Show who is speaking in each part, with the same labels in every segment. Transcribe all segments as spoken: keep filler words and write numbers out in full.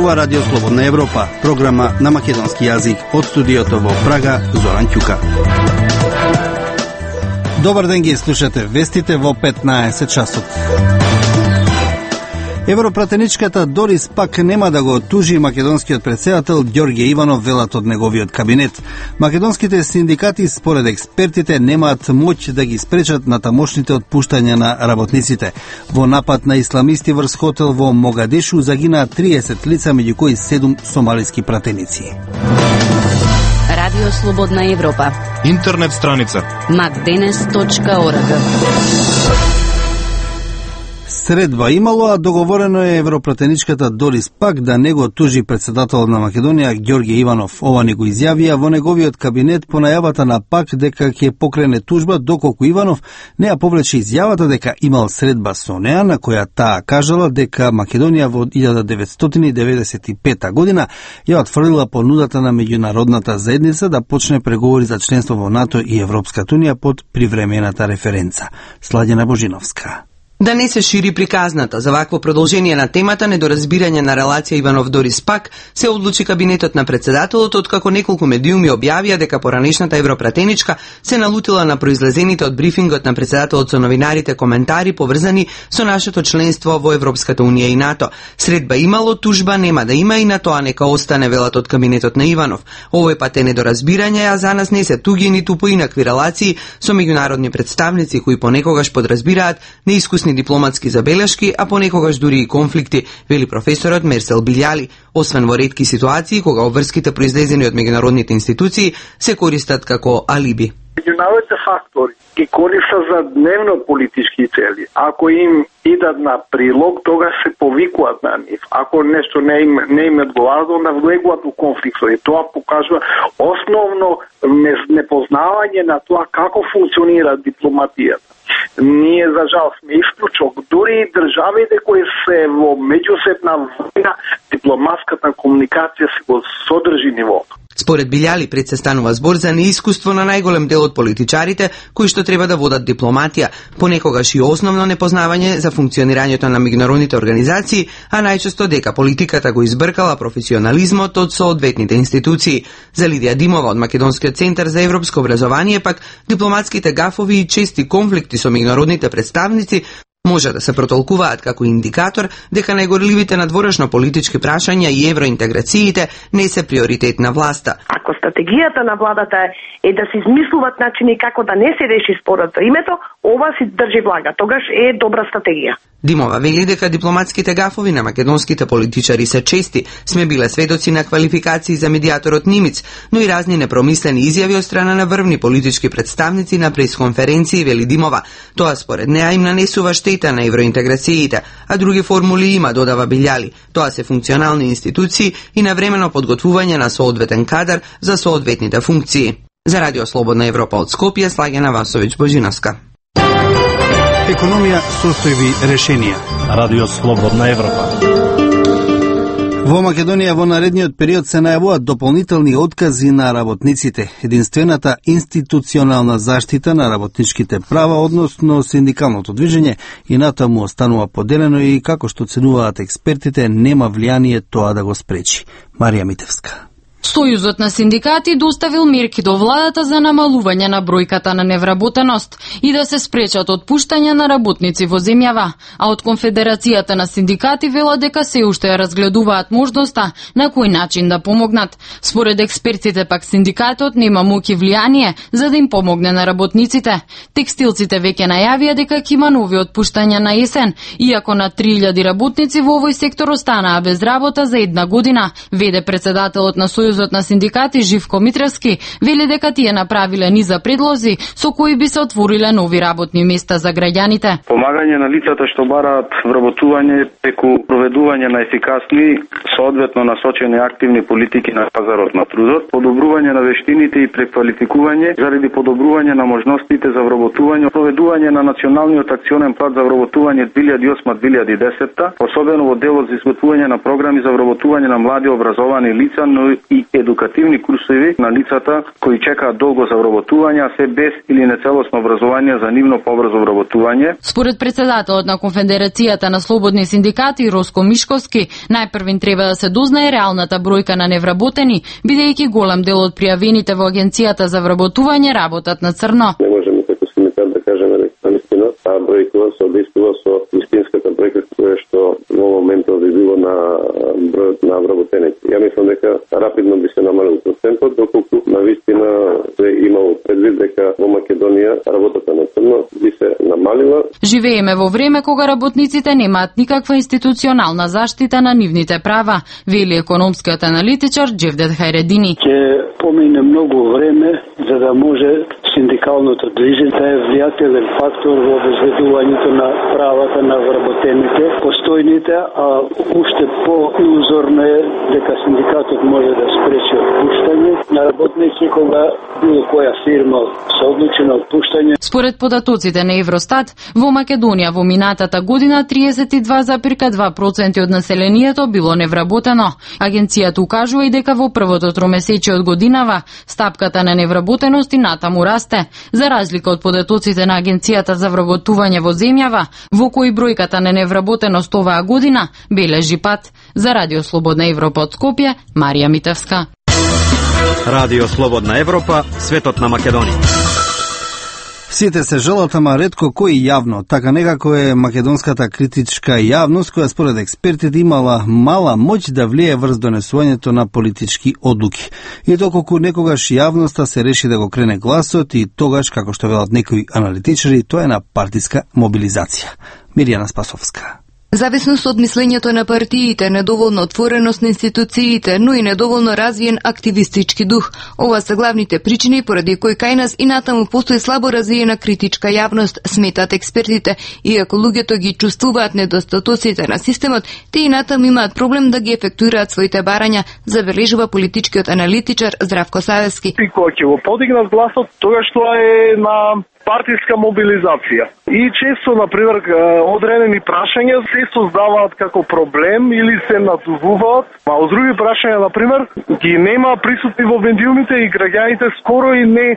Speaker 1: зборува Радио Слободна Европа, програма на македонски јазик од студиото во Прага, Зоран Ќука. Добар ден, ги слушате вестите во петнаесет часот. Европратеничката Дорис Пак нема да го тужи македонскиот претседател Ѓорѓе Иванов, велат од неговиот кабинет. Македонските синдикати, според експертите, немаат моќ да ги спречат натамошните отпуштања на работниците. Во напад на исламисти врз хотел во Могадешу загинаа триесет лица, меѓу кои седум сомалиски пратеници.
Speaker 2: Радио Слободна Европа.
Speaker 3: Интернет страница
Speaker 2: макденес точка орг.
Speaker 1: Средба имало, а договорено е европратеничката Дорис Пак да не го тужи председател на Македонија Ѓорѓе Иванов. Ова не го изјавија во неговиот кабинет по најавата на Пак дека ќе покрене тужба, доколку Иванов не ја повлече изјавата дека имал средба со неа, на која таа кажала дека Македонија во илјада деветстотини деветдесет и пета година ја отфрлила понудата на меѓународната заедница да почне преговори за членство во НАТО и Европската унија под привремената референца. Сладјана Божиновска.
Speaker 4: Да не се шири приказната за вакво продолжение на темата недоразбирање на релација Иванов-Дорис Пак, се одлучи кабинетот на председателот, откако неколку медиуми објавија дека поранешната европратеничка се налутила на произлезените од брифингот на председателот со новинарите коментари поврзани со нашето членство во Европската унија и НАТО. Средба имало, тужба нема да има и на тоа нека остане, велат од кабинетот на Иванов. Овој пат е недоразбирање, а за нас не се туги ниту поинакви релации со меѓународни представници кои понекогаш подразбираат неискусни дипломатски забелешки, а понекогаш дури и конфликти, вели професорот Мерсел Билјали, освен во ретки ситуации кога обврските произлезени од меѓународните институции се користат како алиби.
Speaker 5: Меѓународните фактори ги користат за дневно политички цели. Ако им идат на прилог, тогаш се повикуваат на нив. Ако нешто не им, не им одговара, onda влегуваат во конфликт. И тоа покажува основно непознавање на тоа како функционира дипломатијата. Ние, за жал, сме исклучок. Дури и државите кои се во меѓусебна војна, дипломатската комуникација се го содржи нивото.
Speaker 4: Според Билјали, пред се станува збор за неискуство на најголем дел од политичарите кои што треба да водат дипломатија, понекогаш и основно непознавање за функционирањето на меѓународните организации, а најчесто дека политиката го избркала професионализмот од соодветните институции. За Лидија Димова од Македонскиот центар за европско образование пак, дипломатските гафови и чести конфликти со меѓународните представници може да се протолкуваат како индикатор дека најгорливите надворешно политички прашања и евроинтеграциите не се приоритет на власта.
Speaker 6: Ако стратегијата на владата е да се измислуваат начини како да не се реши спорот за името, ова си држи влага. Тогаш е добра стратегија.
Speaker 4: Димова вели дека дипломатските гафови на македонските политичари се чести. Сме биле сведоци на квалификации за медиаторот Нимиц, но и разни непромислени изјави од страна на врвни политички представници на пресконференции, вели Димова. Тоа според неа им нанесува штета на евроинтеграциите, а други формули има, додава Билјали. Тоа се функционални институции и навремено подготвување на соодветен кадар за соодветните функции. За Радио Слободна Европа од Скопје, Слагена Васовиќ Божиновска.
Speaker 1: Економија, состојби, решенија.
Speaker 3: Радио Слободна Европа.
Speaker 1: Во Македонија во наредниот период се најавуваат дополнителни откази на работниците. Единствената институционална заштита на работничките права, односно синдикалното движење, и натаму останува поделено и, како што оценуваат експертите, нема влијание тоа да го спречи. Марија Митевска.
Speaker 7: Сојузот на синдикати доставил мерки до владата за намалување на бројката на невработеност и да се спречат отпуштања на работници во земјава, а од Конфедерацијата на синдикати велат дека се уште ја разгледуваат можноста на кој начин да помогнат. Според експертите пак синдикатот нема моќ и влијание за да им помогне на работниците. Текстилците веќе најавија дека ќе има нови отпуштања на есен, иако на три илјади работници во овој сектор останаа без работа за една година, веде председателот на Сојузот на синдикати Живко Митревски, вели дека тие направиле низа предлози со кои би се отвориле нови работни места за граѓаните.
Speaker 8: Помагање на лицата што бараат вработување преку проведување на ефикасни, соодветно насочени активни политики на пазарот на трудот, подобрување на вештините и преквалификување заради подобрување на можностите за вработување, проведување на националниот акционен план за вработување две илјади и осма до две илјади и десета, особено во делот за изготвување на програми за вработување на млади образовани лица, но и и едукативни курсови на лицата кои чекаат долго за вработување, а се без или нецелосно образование за нивно побрзо вработување.
Speaker 7: Според председателот на Конфедерацијата на слободни синдикати Роско Мишковски, најпрвин треба да се дознае реалната бројка на невработени, бидејќи голем дел од пријавените во Агенцијата за вработување работат на црно.
Speaker 9: Не можеме како синдикат да кажеме наистина, таа бројка се одействува со вистинската бројка која што во моментот би било на бројот на вработените. Ја мислам дека рапидно би се намалил процентот, доколку на вистина се имало предвид дека во Македонија работата на црно би се намалила.
Speaker 7: Живееме во време кога работниците немаат никаква институционална заштита на нивните права, вели економскиот аналитичар Джевдет Хајредини.
Speaker 10: Ќе помине многу време за да може синдикалното движење да е влијателен фактор во обезбедувањето на правата на вработените, постојните, а уште по-илузорно е дека синдикатот може да спречи отпуштање на работници кога било која фирма се одлучи на отпуштање.
Speaker 7: Според податоците на Евростат, во Македонија во минатата година триесет и два запирка два проценти од населението било невработено. Агенцијата укажува и дека во првото тромесечие од годинава стапката на невработеност и натаму расте, за разлика од податоците на Агенцијата за вработување во земјава, во кои бројката на невработеност оваа година бележи пат. За Радио Слободна Европа од Скопје, Марија Митевска.
Speaker 3: Радио Слободна Европа, светот на Македонија.
Speaker 1: Сите се жалат, ама ретко кој јавно, така некако е македонската критичка јавност, која според експертите имала мала моќ да влие врз донесувањето на политички одлуки. И доколку некогаш јавноста се реши да го крене гласот, и тогаш, како што велат некои аналитичари, тоа е на партиска мобилизација. Мирјана Спасовска.
Speaker 11: Зависност од мислењето на партиите, недоволно отвореност на институциите, но и недоволно развиен активистички дух. Ова се главните причини поради кои кај нас и натаму постои слабо развиена критичка јавност, сметат експертите. Иако луѓето ги чувствуваат недостатоците на системот, те и натаму имаат проблем да ги ефектуираат своите барања, забележува политичкиот аналитичар Здравко Савевски.
Speaker 5: И кога ќе го подигнат гласот, тогаш тоа е на партиска мобилизација. И често, например, одредени прашања се создаваат како проблем или се надувуваат, а од други прашања, например, ги нема присутни во медиумите и граѓаните скоро и не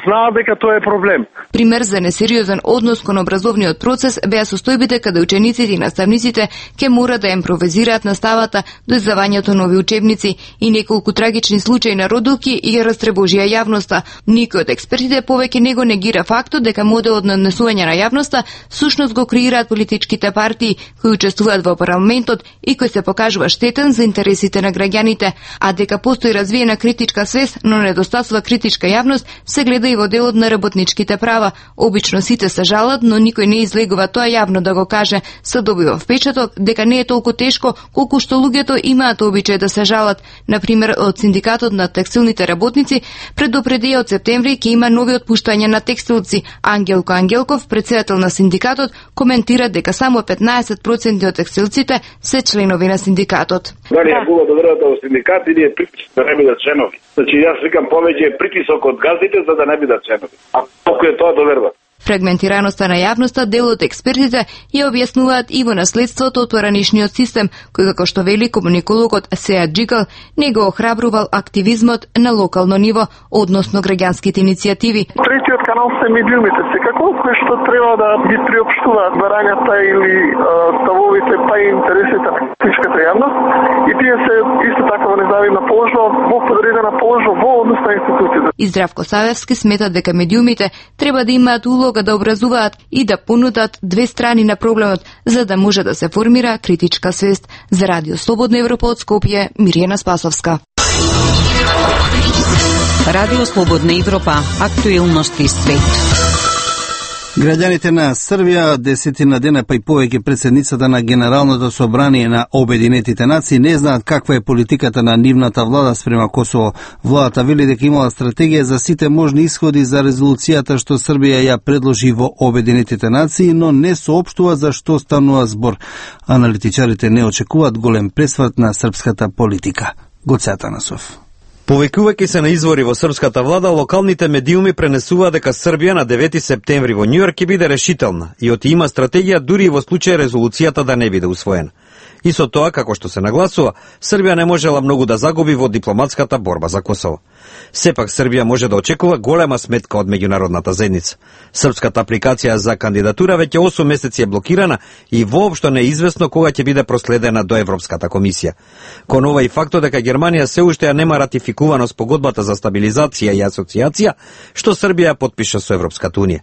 Speaker 5: знаат дека тоа е проблем.
Speaker 11: Пример за несериозен однос кон образовниот процес беа состојбите каде учениците и наставниците ќе мора да импровизираат наставата до издавањето нови учебници и неколку трагични случаи на родилки и ја растребожија јавноста. Никој од експертите повеќе не го негира фактот дека моделот на однесување на јавноста сушност го креираат политичките партии кои учествуваат во парламентот и кој се покажува штетен за интересите на граѓаните, а дека постои развиена критичка свест, но недостатува критичка јавност, се гледа и во делот на работничките права. Обично сите се жалат, но никој не излегува тоа јавно да го каже. Се добива впечаток дека не е толку тешко колку што луѓето имаат обичај да се жалат. Например, од синдикатот на текстилните работници предупредија од септември ќе има нови отпуштања на текстилци. Ангелко Ангелков, председател на синдикатот, коментира дека само петнаесет проценти од текстилците се членови на синдикатот.
Speaker 12: Дали е било да верувате во синдикат или е притисок да не бидат членови? Значи јас викам повеќе е притисок од газдите за да не бидат членови. А колку е тоа доверба?
Speaker 11: Фрагментираноста на јавноста дел од експертите ја објаснуваат и во наследството од поранишниот систем, кој како што вели комуникологот Сеат Джикал, не го охрабрувал активизмот на локално ниво, односно граѓанските иницијативи.
Speaker 5: Третиот канал се медиумите, секако кои што треба да ги приопштуваат барањата или а, ставовите па и интересите на критичката јавност, и тие се исто така во незавидна положба, во подредена положба во однос на институциите.
Speaker 11: И Здравко Савевски смета дека медиумите треба да имаат улога да образуваат и да понудат две страни на проблемот, за да може да се формира критичка свест. За Радио Слободна Европа од Скопје, Мирјана Спасовска.
Speaker 2: Радио Слободна Европа, актуелности свет.
Speaker 1: Граѓаните на Србија, десетина дена па и повеќе председницата на Генералното собрание на Обединетите нации не знаат каква е политиката на нивната влада спрема Косово. Владата вели дека имала стратегија за сите можни исходи за резолуцијата што Србија ја предложи во Обединетите нации, но не соопштува за што станува збор. Аналитичарите не очекуваат голем пресврт на српската политика. Гоце Атанасов.
Speaker 3: Повикувајќи се на извори во српската влада, локалните медиуми пренесуваат дека Србија на девети септември во Њујорк ќе биде решителна и оти има стратегија дури и во случај резолуцијата да не биде усвоена. И со тоа, како што се нагласува, Србија не можела многу да загуби во дипломатската борба за Косово. Сепак Србија може да очекува голема сметка од меѓународната заедница. Српската апликација за кандидатура веќе осум месеци е блокирана и воопшто не е известно кога ќе биде проследена до Европската комисија. Кон ова и фактот дека Германија се уште ја нема ратификувано спогодбата за стабилизација и асоциација, што Србија подпиша со Европската унија.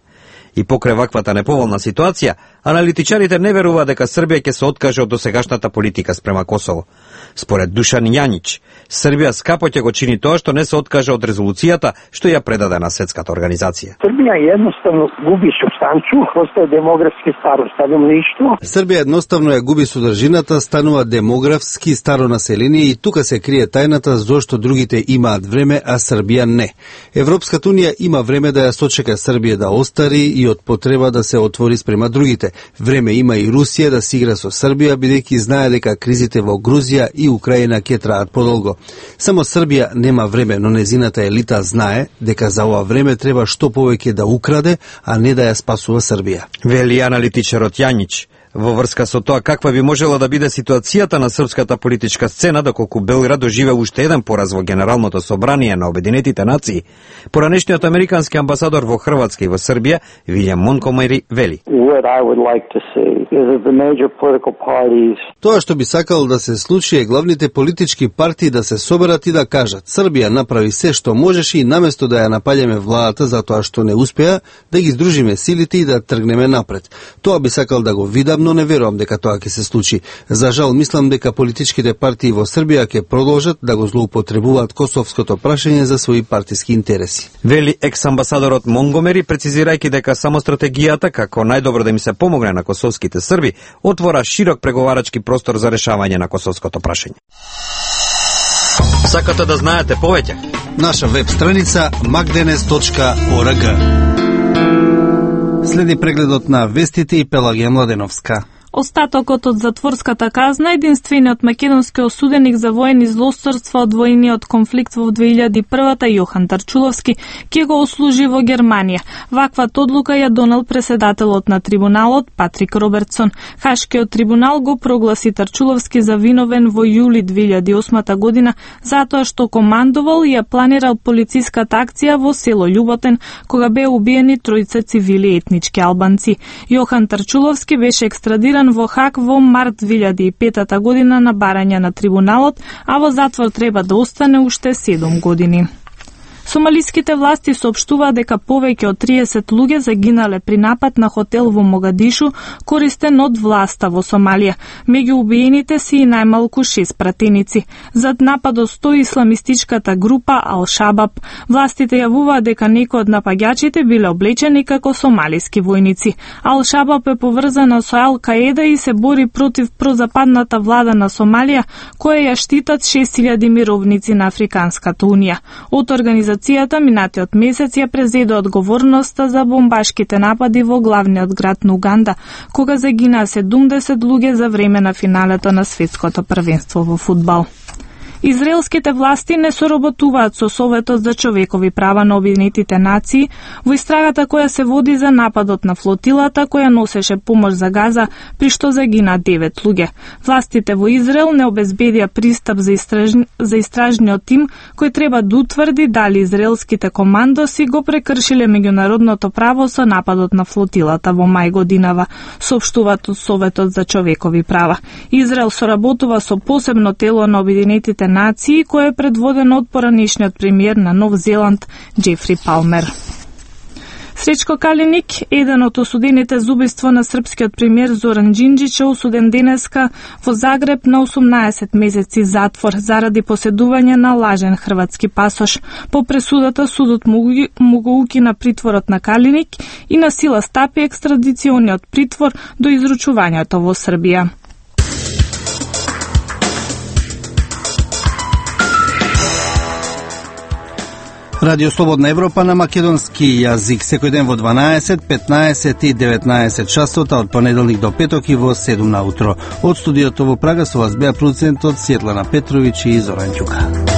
Speaker 3: И покрај ваквата неповолна ситуација, аналитичарите не веруваат дека Србија ќе се откаже од досегашната политика спрема Косово. Според Душан Јанич, Србија скапо ќе го чини тоа што не се откаже од резолуцијата што ја предаде на Светската организација.
Speaker 13: Србија едноставно губи супстанцу, постае демографски старо стадомништво.
Speaker 1: Србија едноставно ја губи содржината, станува демографски старо население и тука се крие тајната зошто другите имаат време, а Србија не. Европската унија има време да ја сочека Србија да остари и од потреба да се отвори спрема другите. Време има и Русија да си игра со Србија, бидејќи знае дека кризите во Грузија и Украина ќе траат подолго. Само Србија нема време, но незината елита знае дека за ова време треба што повеќе да украде, а не да ја спасува Србија.
Speaker 3: Вели аналитичарот Јанич. Во врска со тоа каква би можела да биде ситуацијата на српската политичка сцена доколку Белград доживе уште еден пораз во Генералното собрание на Обединетите нации, поранешниот американски амбасадор во Хрватска и во Србија, Вилјам Монкомери, вели.
Speaker 1: Тоа што би сакал да се случи е главните политички партии да се соберат и да кажат: Србија направи се што можеше и наместо да ја напаѓаме владата за тоа што не успеа, да ги здружиме силите и да тргнеме напред. Тоа би сакал да го видам, но не верувам дека тоа ќе се случи. За жал, мислам дека политичките партии во Србија ќе продолжат да го злоупотребуваат косовското прашање за своји партиски интереси.
Speaker 3: Вели екс-амбасадорот Монгомери, прецизирајќи дека само стратегијата како најдобро да им се помогне на косовските Срби отвора широк преговарачки простор за решавање на косовското прашање. Сакате да знаете повеќе?
Speaker 1: Наша веб страница макденес точка орг. Следи прегледот на вестите и Пелагија Младеновска.
Speaker 14: Остатокот од затворската казна, единствениот македонски осуденик за воени злосторства од војниот конфликт во две илјади и првата, Јохан Тарчуловски, ќе го ослужи во Германија. Ваквата одлука ја донел преседателот на трибуналот Патрик Робертсон. Хашкиот трибунал го прогласи Тарчуловски за виновен во јули две илјади и осма година затоа што командувал и ја планирал полициската акција во село Љуботен, кога беа убиени тројца цивили етнички албанци. Јохан Тарчуловски беше екстрадиран во Хаг во март две илјади и петата година на барање на трибуналот, а во затвор треба да остане уште седум години. Сомалиските власти соопштуваат дека повеќе од триесет луѓе загинале при напад на хотел во Могадишу, користен од власта во Сомалија. Меѓу убиените се и најмалку шест пратеници. Зад нападот стои исламистичката група Ал-Шабаб. Властите јавуваат дека некои од напаѓачите биле облечени како сомалиски војници. Ал-Шабаб е поврзана со Ал-Каеда и се бори против прозападната влада на Сомалија, која ја штитат шест илјади мировници на Африканската унија. Од организацијата минатиот месец ја презеде одговорноста за бомбашките напади во главниот град на Уганда, кога загинаа седумдесет луѓе за време на финалето на светското првенство во фудбал. Израелските власти не соработуваат со Советот за човекови права на Обединетите нации во истрагата која се води за нападот на флотилата која носеше помош за Газа, при што загина девет луѓе. Властите во Израел не обезбедија пристап за, истраж... за истражниот тим кој треба да утврди дали израелските командоси го прекршиле меѓународното право со нападот на флотилата во мај годинава, соопштуваат од Советот за човекови права. Израел соработува со посебно тело на Обединетите нации, кој е предводено од поранешниот премиер на Нов Зеланд, Џефри Палмер. Сречко Калиник, еден од осудените за убиство на српскиот премиер Зоран Џинџич, е осуден денеска во Загреб на осумнаесет месеци затвор заради поседување на лажен хрватски пасош. По пресудата судот му го укина притворот на Калиник и на сила стапи екстрадициониот притвор до изручувањето во Србија.
Speaker 1: Радио Слободна Европа на македонски јазик секој ден во дванаесет, петнаесет и деветнаесет часот, од понеделник до петок и во седум наутро. Од студиото во Прага со вас беа продуцентот Светлана Петровиќ и Зоран Ѓука.